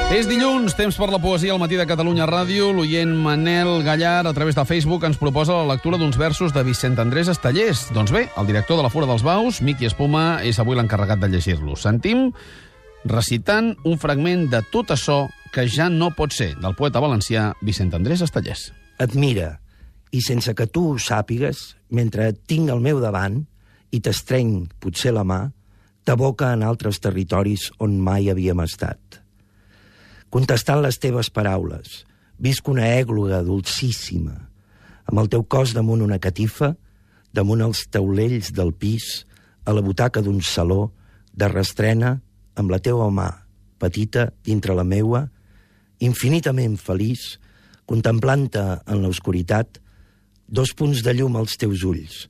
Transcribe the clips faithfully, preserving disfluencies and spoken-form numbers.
És dilluns, temps per la poesia al matí de Catalunya Ràdio. L'oient Manel Gallar, a través de Facebook, ens proposa la lectura d'uns versos de Vicent Andrés Estellés. Doncs bé, el director de la Fura dels Baus, Miqui Espuma, és avui l'encarregat de llegir-los. Sentim recitant un fragment de Tot açò que ja no pot ser, del poeta valencià Vicent Andrés Estellés. Et mira, i sense que tu ho sàpigues, mentre et tinc al meu davant i t'estreny potser la mà, t'aboca en altres territoris on mai havíem estat. Contestant les teves paraules, visc una ègloga dolcíssima, amb el teu cos damunt una catifa, damunt els taulells del pis, a la butaca d'un saló, de restrena, amb la teua mà, petita, dintre la meua, infinitament feliç, contemplant-te en l'oscuritat, dos punts de llum als teus ulls,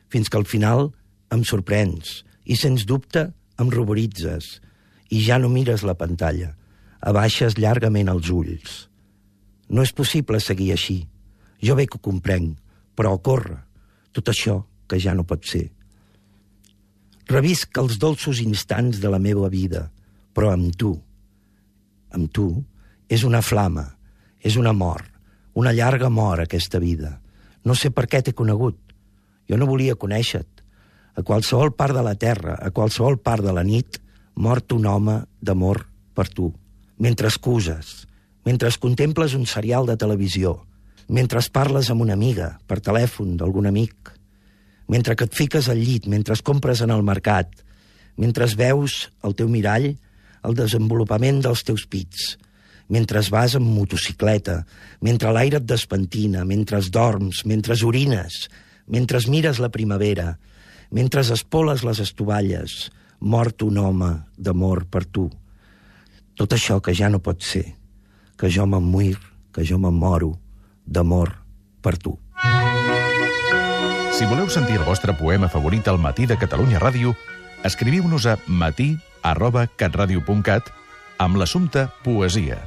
fins que al final em sorprens i, sens dubte, em ruboritzes i ja no mires la pantalla, abaixes llargament els ulls. No és possible seguir així. Jo bé que ho comprenc, però corre, tot això que ja no pot ser. Revisc els dolços instants de la meva vida, però amb tu. Amb tu és una flama, és una mort, una llarga mort aquesta vida. No sé per què t'he conegut. Jo no volia conèixer-te. A qualsevol part de la terra, a qualsevol part de la nit, mort un home d'amor per tu. Mentre excuses, mentre contemples un serial de televisió, mentre parles amb una amiga per telèfon d'algun amic, mentre que et fiques al llit, mentre compres en el mercat, mentre veus al teu mirall el desenvolupament dels teus pits, mentre vas amb motocicleta, mentre l'aire et despentina, mentre dorms, mentre orines, mentre mires la primavera, mentre espoles les estovalles, mort un home d'amor per tu. Tot això que ja no pot ser, que jo m'emmuir, que jo m'emmoro d'amor per tu. Si voleu sentir el vostre poema favorit al matí de Catalunya Ràdio, escriviu-nos a matí arroba catradio punt cat amb l'assumpte poesia.